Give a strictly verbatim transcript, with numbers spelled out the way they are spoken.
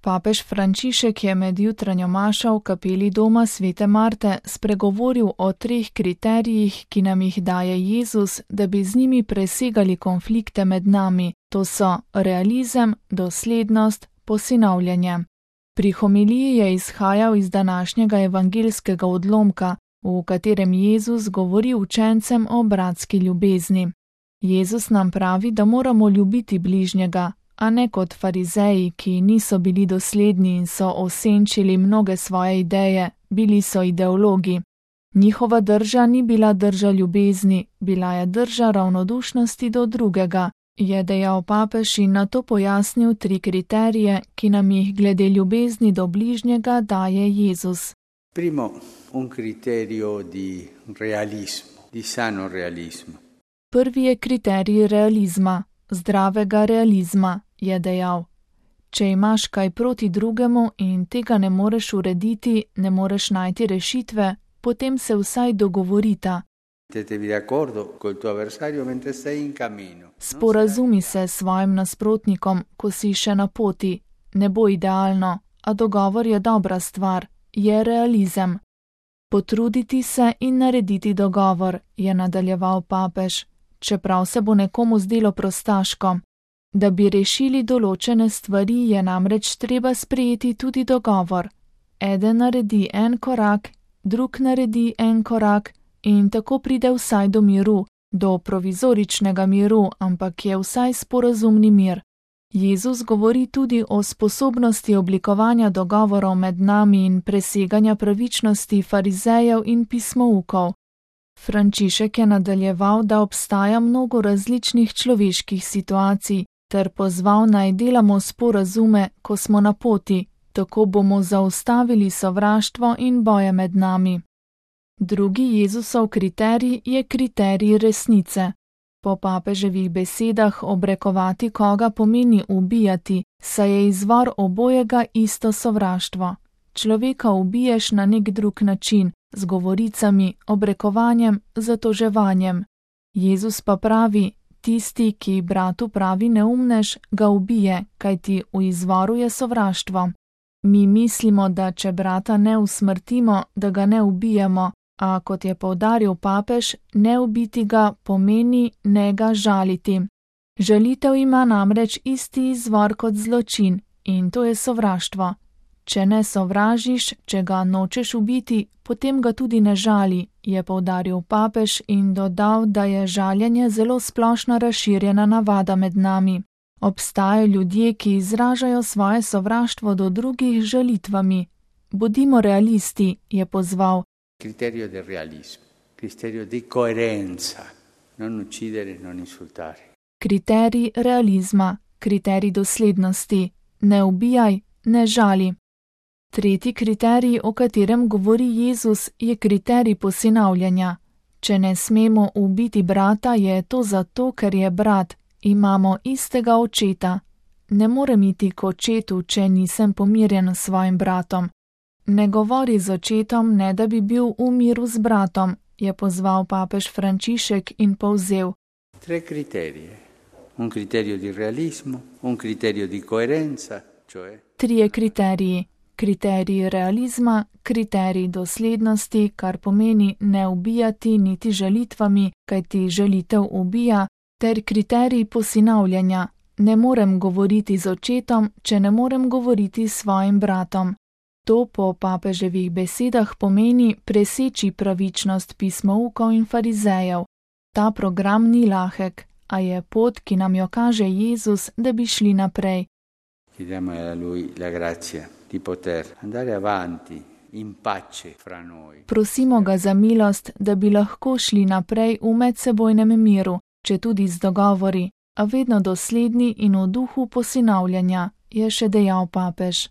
Papež Frančišek je med jutranjo mašo v kapeli doma svete Marte spregovoril o treh kriterijih, ki nam jih daje Jezus, da bi z njimi presegali konflikte med nami, to so realizem, doslednost, posinavljanje. Pri homiliji je izhajal iz današnjega evangeljskega odlomka, v katerem Jezus govori učencem o bratski ljubezni. Jezus nam pravi, da moramo ljubiti bližnjega, a ne kot farizeji, ki niso bili dosledni in so osenčili mnoge svoje ideje, bili so ideologi. Njihova drža ni bila drža ljubezni, bila je drža ravnodušnosti do drugega, je dejal papež in nato pojasnil tri kriterije, ki nam jih glede ljubezni do bližnjega daje Jezus. Primo, un criterio di realismo, di sano realismo. Prvi je kriterij realizma, zdravega realizma, je dejal. Če imaš kaj proti drugemu in tega ne moreš urediti, ne moreš najti rešitve, potem se vsaj dogovorita. Sporazumi se s svojim nasprotnikom, ko si še na poti. Ne bo idealno, a dogovor je dobra stvar, je realizem. Potruditi se in narediti dogovor, je nadaljeval papež, čeprav se bo nekomu zdelo prostaško. Da bi rešili določene stvari, je namreč treba sprejeti tudi dogovor. Eden naredi en korak, drug naredi en korak in tako pride vsaj do miru, do provizoričnega miru, ampak je vsaj sporazumni mir. Jezus govori tudi o sposobnosti oblikovanja dogovorov med nami in preseganja pravičnosti farizejev in pismoukov. Frančišek je nadaljeval, da obstaja mnogo različnih človeških situacij, ter pozval naj delamo sporazume, ko smo na poti, tako bomo zaustavili sovraštvo in boje med nami. Drugi Jezusov kriterij je kriterij resnice. Po papeževih besedah obrekovati koga pomeni ubijati, saj je izvor obojega isto sovraštvo. Človeka ubiješ na nek drug način, z govoricami, obrekovanjem, zatoževanjem. Jezus pa pravi, tisti, ki bratu pravi neumnež, ga ubije, kajti v izvoru je sovraštvo. Mi mislimo, da če brata ne usmrtimo, da ga ne ubijemo, a kot je poudaril papež, ne ubiti ga pomeni ne ga žaliti. Žalitev ima namreč isti izvor kot zločin in to je sovraštvo. Če ne sovražiš, če ga nočeš ubiti, potem ga tudi ne žali, je poudaril papež in dodal, da je žaljenje zelo splošno razširjena navada med nami. Obstajajo ljudje, ki izražajo svoje sovraštvo do drugih žalitvami. Bodimo realisti, je pozval. Criterio del realismo, criterio di coerenza, non uccidere, non insultare. Kriterij realizma, kriterij doslednosti, ne ubijaj, ne žali. Tretji kriterij, o katerem govori Jezus, je kriterij posinavljanja. Če ne smemo ubiti brata, je to zato, ker je brat, imamo istega očeta. Ne morem iti k očetu, če nisem pomirjen s svojim bratom. Ne govori z očetom, ne da bi bil v miru z bratom, je pozval papež Frančišek in povzel. Tre kriterije. Un criterio di realismo, un criterio di coerenza, cioè... Trije kriteriji. Kriterij realizma, kriterij doslednosti, kar pomeni ne ubijati niti žalitvami, kajti žalitev ubija, ter kriterij posinavljanja. Ne morem govoriti z očetom, če ne morem govoriti s svojim bratom. To po papeževih besedah pomeni preseči pravičnost pismoukov in farizejev. Ta program ni lahek, a je pot, ki nam jo kaže Jezus, da bi šli naprej. Chiediamo a lui la grazia di poter andare avanti in pace fra noi. Prosimo ga za milost, da bi lahko šli naprej v medsebojnem miru, če tudi z dogovori, a vedno dosledni in v duhu posinavljanja, je še dejal papež.